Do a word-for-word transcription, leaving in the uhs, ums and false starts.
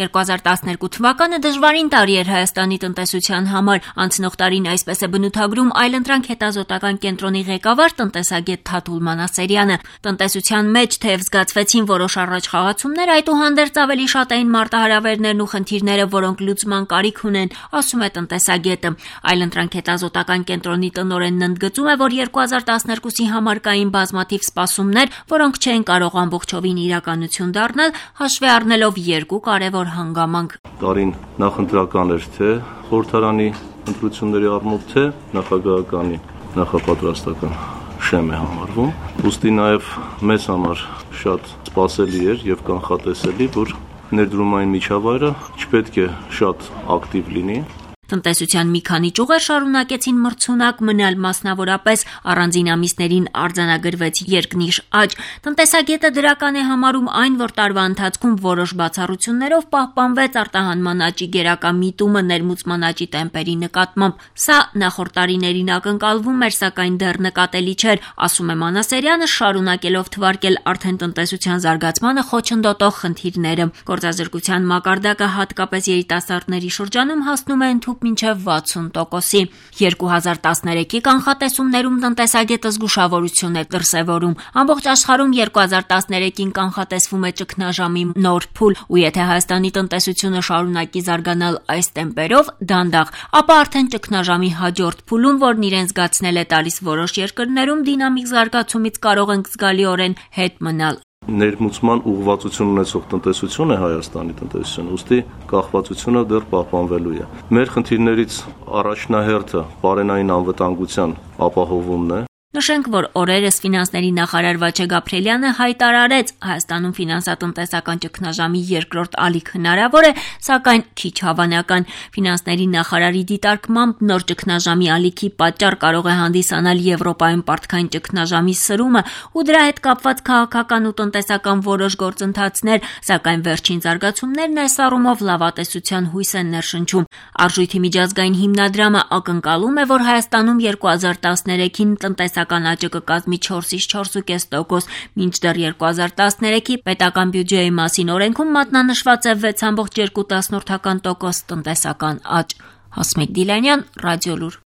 երկու հազար տասներկու թվականը դժվարին տարի էր Հայաստանի տնտեսության համար։ Անցնող տարին այսպես է բնութագրում Այլընտրանք հետազոտական կենտրոնի ղեկավար տնտեսագետ Թաթուլ Մանասերյանը։ Տնտեսության մեջ թեև զգացվեցին որոշ առաջխաղացումներ, այդուհանդերձ ավելի շատ էին մարտահրավերներն ու խնդիրները, որոնք լուծման կարիք ունեն, ասում է տնտեսագետը։ Այլընտրանք հետազոտական կենտրոնի տնօրենն ընդգծում է, որ երկու հազար տասներկուսի համար կային բազմաթիվ սպասումներ, որոնք չէին կարող ամբողջովին իրականություն դառնալ, հաշվի առնելով երկու կարևոր հանգամանք։ Տարին նախընտրական էր թե խորհրդարանի ընտրությունների առումով, թե նախագահականի նախապատրաստական շեմ է համարվում։ Ուստի նաև մեզ համար շատ սպասելի էր եւ կանխատեսելի, որ ներդրումային միջավայրը չպետք է շատ ակտիվ լինի։ Տնտեսության մի քանի ճյուղեր շարունակեցին մրցունակ մնալ, մասնավորապես առանձին ամիսներին արձանագրվեց երկնիշ աճ։ Տնտեսագետը դրական է համարում այն, որ տարվա ընթացքում որոշ բացառություններով պահպանվեց արտահանման աճի գերակա միտումը ներմուծման աճի տեմպերի նկատմամբ։ Սա նախորդ տարիներին ակնկալվում էր, սակայն դեռ նկատելի չէր, ասում է Մանասերյանը, շարունակելով թվարկել արդեն տնտեսության զարգացմանը խոչընդոտող խնդիրները։ Գործազրկության մակարդակը հատկապես երիտասարդների շրջանում հասնում է ընդհանուր մինչև վաթսուն տոկոսի։ երկու հազար տասներեքի կանխատեսումներում տնտեսագետը զգուշավորություն է դրսևորում։ Ամբողջ աշխարհում երկու հազար տասներեքին կանխատեսվում է ճգնաժամի նոր փուլ, ու եթե Հայաստանի տնտեսությունը շարունակի զարգանալ այս տեմպերով, դանդաղ, ապա արդեն ճգնաժամի հաջորդ փուլում, որն իրեն զգացնել է տալիս որոշ երկրներում, դինամիկ զարգացումից կարող ենք զգալիորեն հետ մնալ։ Ներմուծման ուղղվածություն ունեցող տնտեսություն է Հայաստանի տնտեսությունը, ուստի կախվածությունը դեռ պահպանվելու է։ Մեր խնդիրներից առաջնահերթը բարենային անվտանգության ապահովումն է։ Նշենք, որ օրերս ֆինանսների նախարար Վաչե Գաբրիելյանը հայտարարեց, Հայաստանում ֆինանսատնտեսական ճգնաժամի երկրորդ ալիք հնարավոր է, սակայն քիչ հավանական։ Ֆինանսների նախարարի դիտարկմամբ նոր ճգնաժամի ալիքի պատճառ կարող է հանդիսանալ Եվրոպայում պարտքային ճգնաժամի սրումը ու դրա հետ կապված քաղաքական ու տնտեսական որոշ գործընթացներ, սակայն վերջին զարգացումներն այս առումով լավատեսության հույս են ներշնչում։ Արժույթի միջազգային հիմնադրամը ակնկալում է, որ Հայաստանում երկու հազար տասներեքին տնտեսական աճը կկազմի չորսից չորս ու կես տոկոս, մինչդեռ երկու հազար տասներեքի պետական բյուջեի մասին օրենքում մատնանշված է վեց կόμμα երկու տոկոս տնտեսական աճ։ Հասմիկ Դիլանյան, Ռադիոլուր։